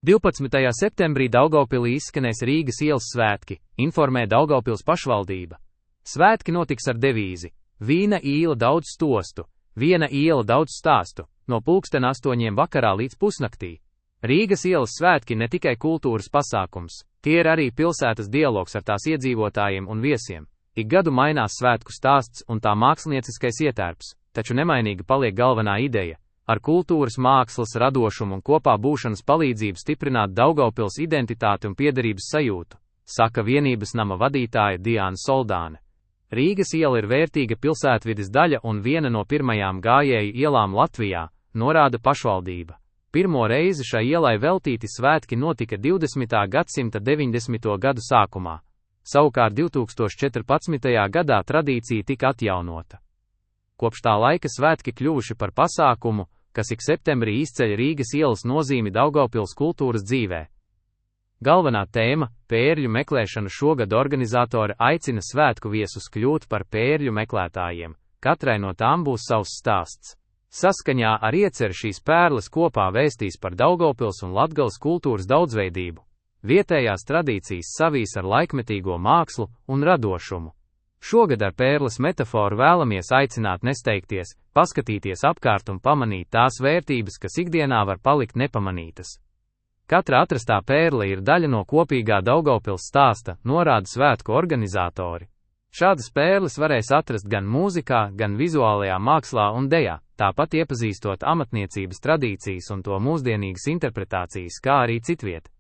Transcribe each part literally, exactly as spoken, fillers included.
divpadsmitajā septembrī Daugavpilī izskanēs Rīgas ielas svētki, informē Daugavpils pašvaldība. Svētki notiks ar devīzi: Vīna īla daudz stostu, viena iela daudz stāstu, no pulksten astoņiem vakarā līdz pusnaktī. Rīgas ielas svētki ne tikai kultūras pasākums, tie ir arī pilsētas dialogs ar tās iedzīvotājiem un viesiem. Ik gadu mainās svētku stāsts un tā mākslinieckais ietērps, taču nemainīga paliek galvenā ideja – ar kultūras, mākslas, radošumu un kopā būšanas palīdzību stiprināt Daugavpils identitāti un piederības sajūtu, saka vienības nama vadītāja Diāna Soldāne. Rīgas iela ir vērtīga pilsētvides daļa un viena no pirmajām gājēju ielām Latvijā, norāda pašvaldība. Pirmo reizi šai ielai veltīti svētki notika divdesmitā gadsimta deviņdesmito gadu sākumā. Savukārt divtūkstoš četrpadsmitajā gadā tradīcija tika atjaunota. Kopš tā laika svētki kļuvuši par pasākumu, kas ik septembrī izceļ Rīgas ielas nozīmi Daugavpils kultūras dzīvē. Galvenā tēma – pērļu meklēšana. Šogad organizatori aicina svētku viesus kļūt par pērļu meklētājiem, katrai no tām būs savs stāsts. Saskaņā ar ieceri šīs pērles kopā vēstīs par Daugavpils un Latgales kultūras daudzveidību. Vietējās tradīcijas savīs ar laikmetīgo mākslu un radošumu. Šogad ar pērles metaforu vēlamies aicināt nesteigties, paskatīties apkārt un pamanīt tās vērtības, kas ikdienā var palikt nepamanītas. Katra atrastā pērle ir daļa no kopīgā Daugavpils stāsta, norāda svētku organizatori. Šādas pērles varēs atrast gan mūzikā, gan vizuālajā mākslā un dejā, tāpat iepazīstot amatniecības tradīcijas un to mūsdienīgas interpretācijas, kā arī citviet.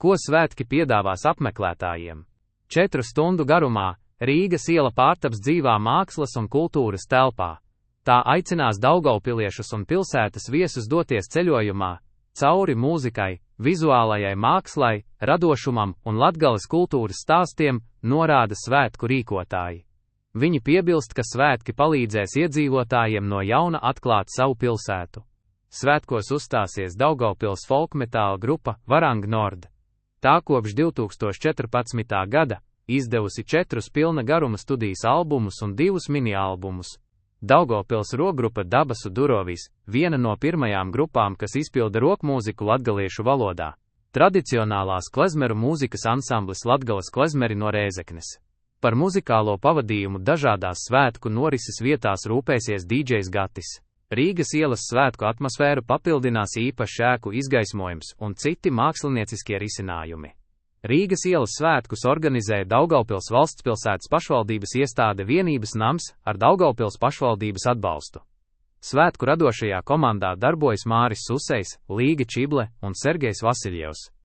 Ko svētki piedāvās apmeklētājiem? Četru stundu garumā Rīgas iela pārtaps dzīvā mākslas un kultūras telpā. Tā aicinās daugavpiliešus un pilsētas viesus doties ceļojumā, cauri mūzikai, vizuālajai mākslai, radošumam un Latgales kultūras stāstiem, norāda svētku rīkotāji. Viņi piebilst, ka svētki palīdzēs iedzīvotājiem no jauna atklāt savu pilsētu. Svētkos uzstāsies Daugavpils folkmetāla grupa Varang Nord. Tā kopš divtūkstoš četrpadsmitā gada izdevusi četrus pilna garuma studijas albumus un divus mini-albumus. Daugavpils rokgrupa Dabasu Durovis, viena no pirmajām grupām, kas izpilda rokmūziku latgaliešu valodā. Tradicionālās klezmeru mūzikas ansamblis Latgales klezmeri no Rēzeknes. Par muzikālo pavadījumu dažādās svētku norises vietās rūpēsies dīdžejs Gatis. Rīgas ielas svētku atmosfēru papildinās īpašs ēku izgaismojums un citi mākslinieciskie risinājumi. Rīgas ielas svētkus organizēja Daugavpils valstspilsētas pašvaldības iestāde Vienības nams ar Daugavpils pašvaldības atbalstu. Svētku radošajā komandā darbojas Māris Susejs, Līga Čible un Sergejs Vasiljevs.